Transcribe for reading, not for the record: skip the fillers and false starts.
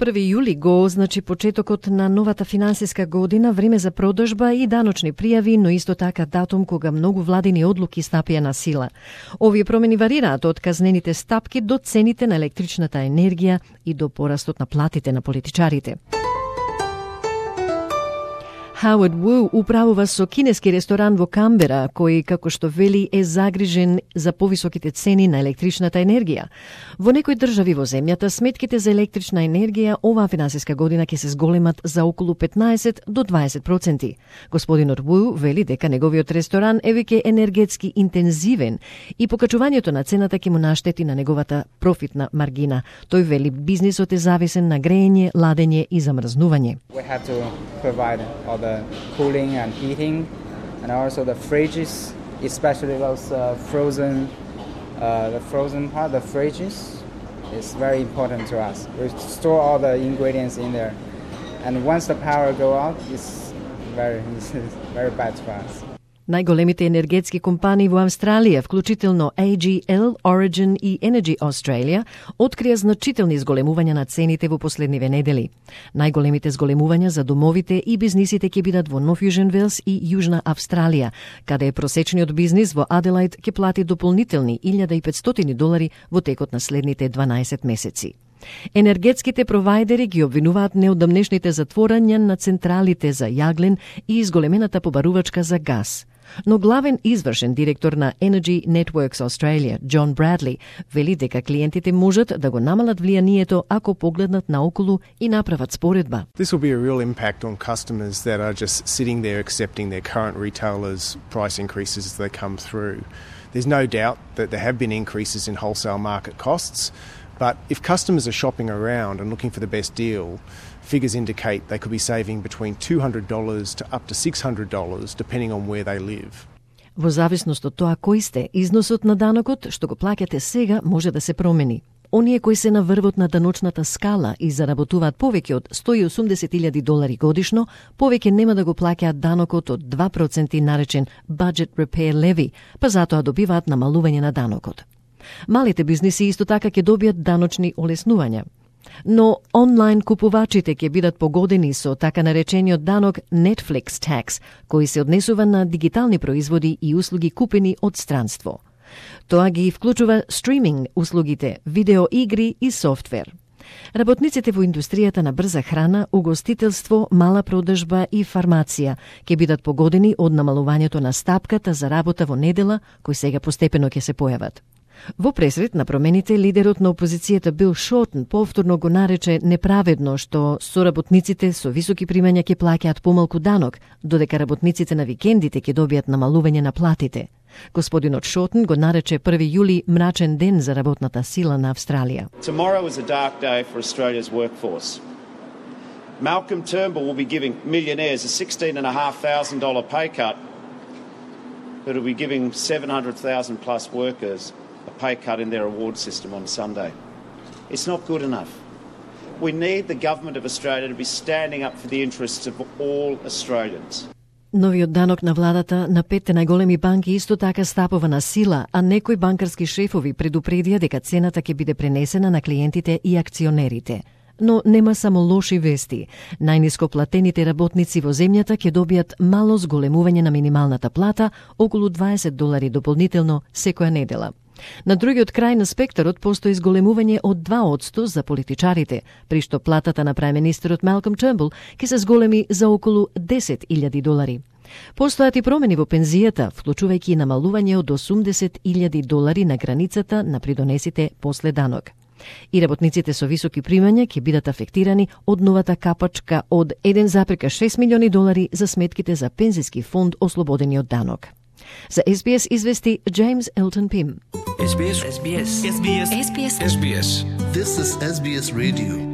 1 јули го означи почетокот на новата финансиска година, време за продажба и даночни пријави, но исто така датум кога многу владини одлуки стапија на сила. Овие промени варираат од казнените стапки до цените на електричната енергија и до порастот на платите на политичарите. Howard Wu управува со кинески ресторан во Камбера, кој, како што вели, е загрижен за повисоките цени на електричната енергија. Во некои држави во земјата, сметките за електрична енергија оваа финансиска година ќе се зголемат за околу 15 до 20%. Господинот Wu вели дека неговиот ресторан е веќе енергетски интензивен и покачувањето на цената ќе му наштети на неговата профитна маргина. Тој вели бизнисот е зависен на грејење, ладење и замрзнување. Cooling and heating, and also the fridges, especially those frozen part, the fridges is very important to us. We store all the ingredients in there, and once the power go out, it's very bad for us. Најголемите енергетски компании во Австралија, вклучително AGL, Origin и Energy Australia, открија значителни зголемувања на цените во последниве недели. Најголемите зголемувања за домовите и бизнисите ќе бидат во Нов Јужен Велс и Јужна Австралија, каде просечниот бизнис во Аделајд ќе плати дополнителни $1,500 во текот на следните 12 месеци. Енергетските провајдери ги обвинуваат неодамнешните затворања на централите за јаглен и изголемената побарувачка за газ. Но главен извршен директор на Energy Networks Australia, John Bradley, вели дека клиентите можат да го намалат влијанието ако погледнат наоколу и направат споредба. This will be a real impact on customers that are just sitting there accepting their current retailers' price increases as they come through. There's no doubt that there have been increases in wholesale market costs, but if customers are shopping around and looking for the best deal, figures indicate they could be saving between $200 to up to $600 depending on where they live. Во зависност од тоа кој сте, износот на данокот што го плаќате сега може да се промени. Оние кои се на врвот на даночната скала и заработуваат повеќе од $180,000 годишно, повеќе нема да го плаќаат данокот од 2% наречен Budget Repair Levy, па затоа добиваат намалување на данокот. Малите бизниси исто така ќе добијат даночни олеснувања. Но онлайн купувачите ќе бидат погодени со така наречениот данок Netflix Tax, кој се однесува на дигитални производи и услуги купени од странство. Тоа ги вклучува стриминг услугите, видеоигри и софтвер. Работниците во индустријата на брза храна, угостителство, мала продажба и фармација ќе бидат погодени од намалувањето на стапката за работа во недела, кои сега постепено ќе се појават. Во пресред на промените, лидерот на опозицијата Бил Шортен повторно го нарече неправедно што соработниците со високи примања ќе плаќаат помалку данок, додека работниците на викендите ќе добијат намалување на платите. Господинот Шортен го нарече 1 јули мрачен ден за работната сила на Австралија. Tomorrow is a dark day for Australia's workforce. Malcolm Turnbull will be giving millionaires a $16,500 pay cut, but will be giving 700,000 plus workers a pay cut in their award system on Sunday. It's not good enough. We need the government of Australia to be standing up for the interests of all Australians. Новиот данок на владата на 5 најголеми банки исто така стапува на сила, а некои банкарски шефови предупредија дека цената ќе биде пренесена на клиентите и акционерите. Но нема само лоши вести. Најниско платените работници во земјата ќе добијат мало зголемување на минималната плата, околу $20 дополнително секоја недела. На другиот крај на спектарот постои зголемување од 2% за политичарите, при што платата на прајм-министерот Малком Тернбул ќе се зголеми за околу $10,000. Постојат и промени во пензијата, вклучувајќи намалување од $80,000 на границата на придонесите после данок. И работниците со високи примања ќе бидат афектирани од новата капачка од $1,6 милиони за сметките за пензиски фонд ослободени од данок. За SBS извести James Elton Pim. SBS. SBS. SBS. SBS. SBS. This is SBS Radio.